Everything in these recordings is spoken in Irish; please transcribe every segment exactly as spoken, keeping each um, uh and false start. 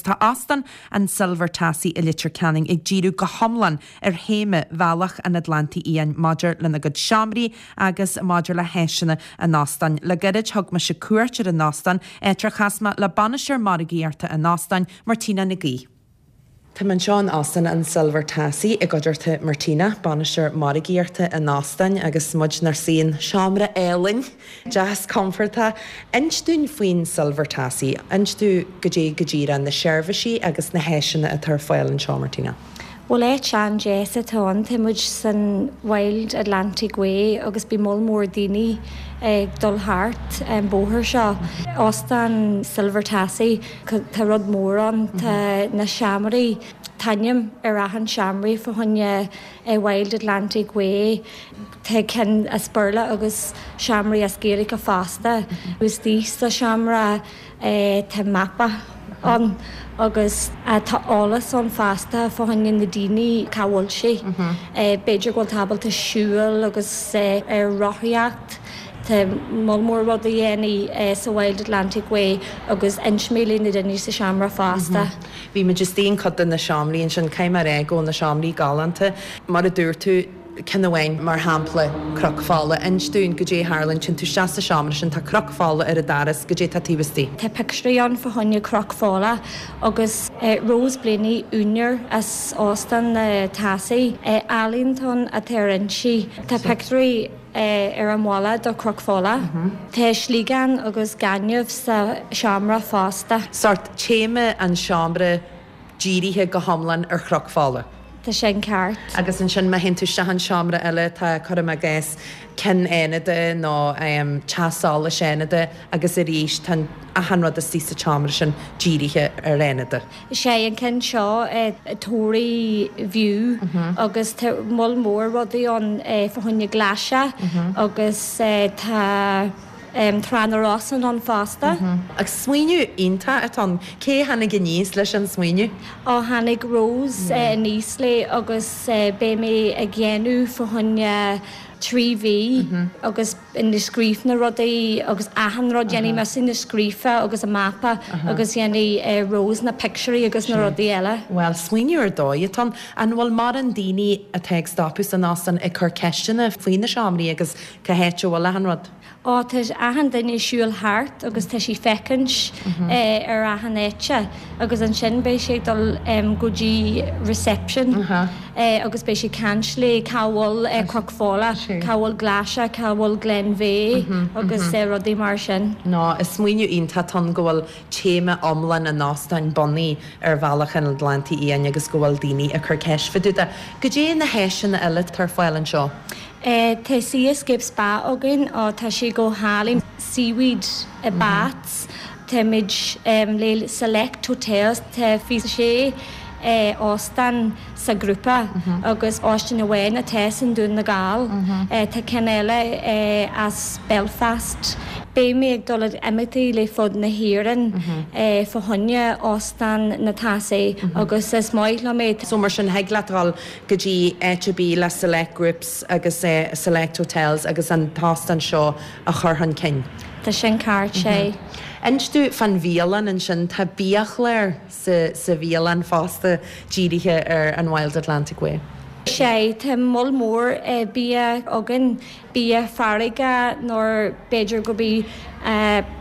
tá Óstán an Silver Tassie i Leitir Ceanainn ag díriú go hiomlán ar théama Bhealach an Atlantaigh Fhiáin maidir lena gcuid seomraí agus maidir le háiseanna an óstáin. Le gairid thug mise cuairt ar an óstán áit ar chas mé le bainisteoir margaíochta an óstáin Martina Nic Aoidh. Tá anseo in Óstán an Silver Tassie i gcuideachta Martina, bainisteoir margaíochta an óstáin agus muid inár suí i seomra álainn deas compordach. Inis dúinn faoin Silver Tassie, Inis dúinn goidé go díreach na seirbhísí agus na háiseanna atá ar fáil anseo Martina. Well áit an-deas atá ann tá muid san Wild Atlantic Way agus bíonn moll mór daoine ag dul thart an bóthar seo. Óstán Silver Tassie tá rud mór ann tá na seomraí t-ainm ar achan seomra fá choinne Wild Atlantic Way Tá cinn as Béarla agus seomraí as Gaeilge fosta, agus thíos sa seomra tá mapa ann agus tá eolas ann fosta fá choinne na daoine cá bhfuil sé. B'fhéidir go bhfuil ábalta siúl agus ar rothaíocht. Tá moll mór rudaí a dhéanamh sa Wild Atlantic Way agus inseoidh mé na daoine sa seomra fosta. Bhí muid istigh in cuid de na seomraí ansin caithfidh mé a rá go na seomraí galánta mar a dúirt tú ceann amháin mar shampla Cnoc Fola inis dúinn goidé a tharlaíonn téann tú isteach sa seomra sin tá cnoc fola ar an doras goidé tá taobh istigh. Tá pictiúirí ann fá choinne Cnoc Fola agus Rose Blaney úinéir as Óstán na Tassie ealaíontóir atá ar insí. Tá pictiúirí ar an mballa do Cnoc Fola. Tá sliogán agus gaineamh sa seomra fosta. Sort téama an seomra dírithe go hiomlán ar Chnoc Fola. Tá sin ceart. Agus ansin má théann tú isteach an seomra eile tá cuirim i gcás cinn Fhánada nó um, teach solais Fhánada agus arís tá achan rud istigh sa tseomra sin dírithe ar Fhánada. Sé an ceann seo Tory View agus tá moll mór rudaí ann fá choinne glaise agus tá Trá na Rosann ann fosta. Agus smaoineamh iontach atá ann cé tháinig aníos leis an smaoineamh? Ó tháinig Rose aníos léi agus beidh mé ag déanamh fá choinne trí mhí agus ina scríobh na rudaí agus achan rud dhéanfaidh mise na scríofa agus a mapa agus dhéanfaidh Rose na pictiúirí agus na rudaí eile. Well, smaoineamh ar dóigh atá an bhfuil mórán daoine atá ag stopadh san óstán ag cur ceisteanna faoi na seomraí agus cá háit a bhfuil achan rud. Ó tá achan duine siúl thart agus tá sí féachaint ar achan áit agus ansin beidh sé dul go dtí reception agus beidh sé caint le cá bhfuil Cnoc Fola, cá bhfuil Glaise, cá bhfuil Glenveagh agus rudaí mar sin. No, is smaoineamh iontach atá ann go bhfuil téama iomlán an óstáin bunaithe ar Bhealach an Atlantaigh Fhiáin agus go bhfuil daoine ag cur ceist fá dtaobh de. Goidé na háiseanna eile atá ar fáil anseo. Tá Seascape Spa againn ó tá sé go hálainn seaweed baths Táimid le Select Hotels tá fiche sé óstán sa grúpa agus óstán amháin atá san Dún na nGall Tá ceann eile as Belfast. Beidh mé ag dul imeachtaí le fud na hÉireann fá choinne Óstán na Tassie agus is maith liom é. So mar sin thig leat dul go dtí áit ar bith le select groups agus uh, select hotels agus an t-óstán seo a chur chun cinn. Tá sin ceart sé. Inis dúinn fán bhialann ansin tá biachlár sa, sa bhialann fosta dírithe ar an Wild Atlantic Way. Sé tá moll mór bia againn bia farraige nó b'fhéidir go bí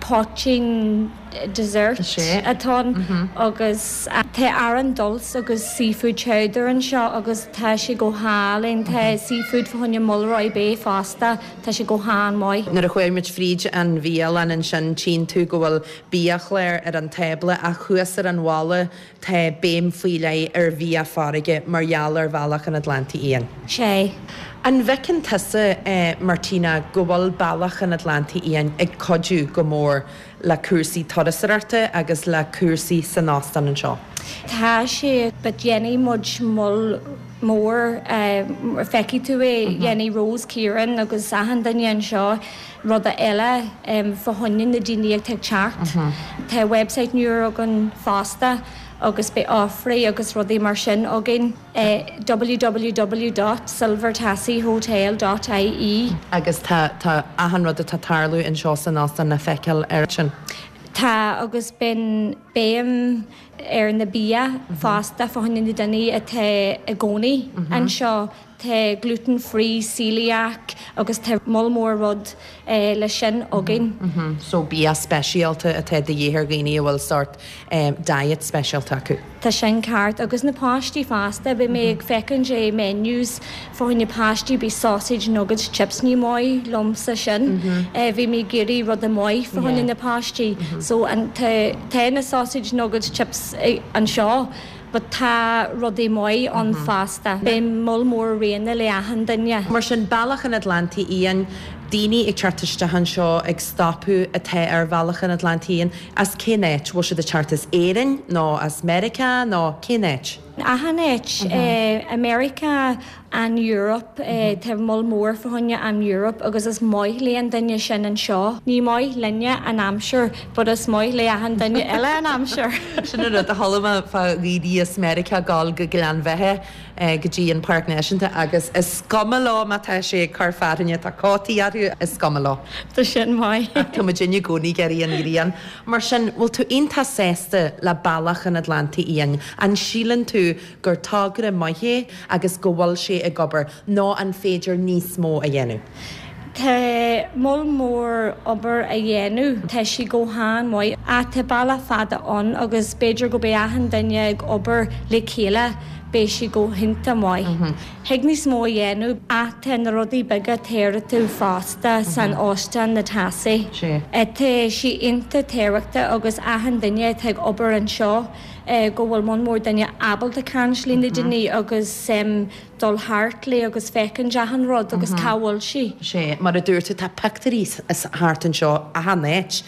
poitín dessert atá agus tá arán dulse agus seafood chowder anseo agus tá sé go hálainn tá seafood fá choinne Mulroy Bay fosta tá sé go han-mhaith. Nuair a chuaigh muid fríd an bhialann ansin tchíonn tú go bhfuil biachlár ar an tábla ach thuas ar an bhalla tá béim faoi leith ar bhia farraige mar gheall ar Bhealach an Atlantaigh Fhiáin. Sé. An bhfeiceann tusa eh, Martina go bhfuil Bealach an Atlantaigh Fhiáin ag cuidiú go mór le cúrsaí turasóireachta agus le cúrsaí san óstán anseo. Tá sé but dhéanfaidh muid moll mór feicfidh tú é dhéanfaidh Rose Kieran agus achan duine anseo ruda eile fá choinne na daoine ag teacht. Tá website nua againn fosta agus beidh offerí agus rudaí mar sin againn www.silvertassiehotel.ie Agus tá tá achan rud atá tarlú anseo san óstán le feiceáil ar sin. Tá agus bíonn béim ar na bia fosta fá choinne na daoine atá i gcónaí anseo tá gluten free celiac agus tá moll mór rud eh, le sin againn. Mm So bia speisialta atá de dhíth ar dhaoine a bhfuil sort um, diet speisialta acu. Tá sin ceart agus na páistí fosta bhí mé ag féachaint é menus fá choinne páistí bhí sausage nuggets chips ní maith liomsa sin. Bhí mé ag iarraidh rud maith fá choinne na páistí, so an tá na sausage nuggets chips anseo. But tá rudaí maith ann fosta. Beidh moll mór réine le achan duine. Mar sin Bealach an Atlantaigh Fhiáin daoine ag teacht isteach anseo ag stopadh atá ar Bhealach an Atlantaigh Fhiáin as cén áit bhfuil siad ag teacht as Éirinn nó as Meiriceá nó cén áit. Achan áit America an Europe tá moll mór fá choinne an Europe agus is maith le an duine sin anseo. Ní maith linne an aimsir, but is maith le achan duine eile an aimsir. Sin an rud a chuala fá dhaoine as Meiriceá ag gabháil go Gleann Bheatha go dtí an Páirc Náisiúnta agus is cuma leo má tá sé ag cur fearthainne tá cótaí orthu is cuma leo. Tá sin maith. Tá muid i gcónaí ag iarraidh an ghrian. Mar sin bhfuil tú iontach sásta le Bealach an Atlantaigh Fhiáin, an síleann tú gur togra maith é agus go bhfuil sé ag obair nó an féidir níos mó a dhéanamh. Tá moll mór obair a dhéanamh Tá sí go han-mhaith a tá bealach fada ann agus b'fhéidir go mbeidh achan duine ag obair le chéile beidh sí go hiontach maith. Thig níos mó a dhéanamh ach na rudaí beaga tábhachtach fosta san óstán na Tassie. Tá sí iontach tábhachtach agus achan duine atá ag obair anseo go bhfuil moll mór duine ábalta caint le na daoine agus um, dul thart le agus féachaint achan rud agus cá bhfuil sí. Sé mar a dúirt tá pictiúirí thart anseo achan áit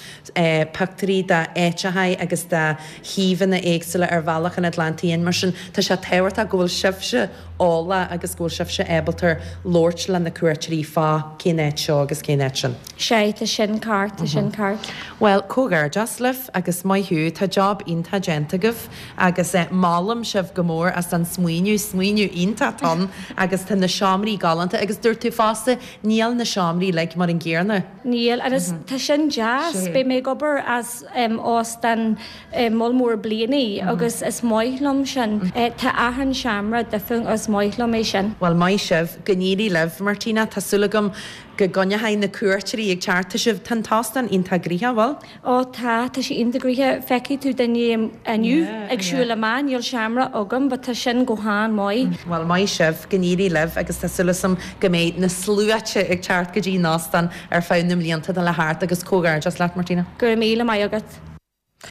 pictiúirí d'áiteacha agus de shuíomhanna éagsúla ar Bhealach an Atlantaigh Fhiáin mar sin tá sé tábhachtach go bhfuil sibhse eolach agus go bhfuil sibhse ábalta labhairt le na cuairteoirí fá cén áit seo agus cén áit sin. Sé tá sin ceart tá sin ceart. Well comhghairdeas libh agus maith thú tá job iontach déanta agaibh agus eh, molaim sibh go mór as an smaoineamh smaoineamh iontach ann agus tá na seomraí galánta agus dúirt tú fosta níl na seomraí like mar an gcéanna. Níl agus tá sin deas Beidh mé ag obair as um, óstán um, moll mór blianaí agus is maith liom sin Tá achan seomra difriúil is maith liom é sin. Well maith sibh go n-éirí libh Martina Tá súil agam go gcoinneoidh na cuairteoirí ag teacht sibh tá an t-óstán iontach gnoitheach bhfuil? Ó tá tá sí iontach gnoitheach feicfidh tú duine inniu ag siúl amach níl seomra agam, but tá sin go han-mhaith. Well maith sibh go n-éirí libh agus tá súil agam go mbeidh na sluaite ag teacht go dtí an óstán ar feadh na mblianta le thart agus comhghairdeas leat Martina. Go míle maith agat.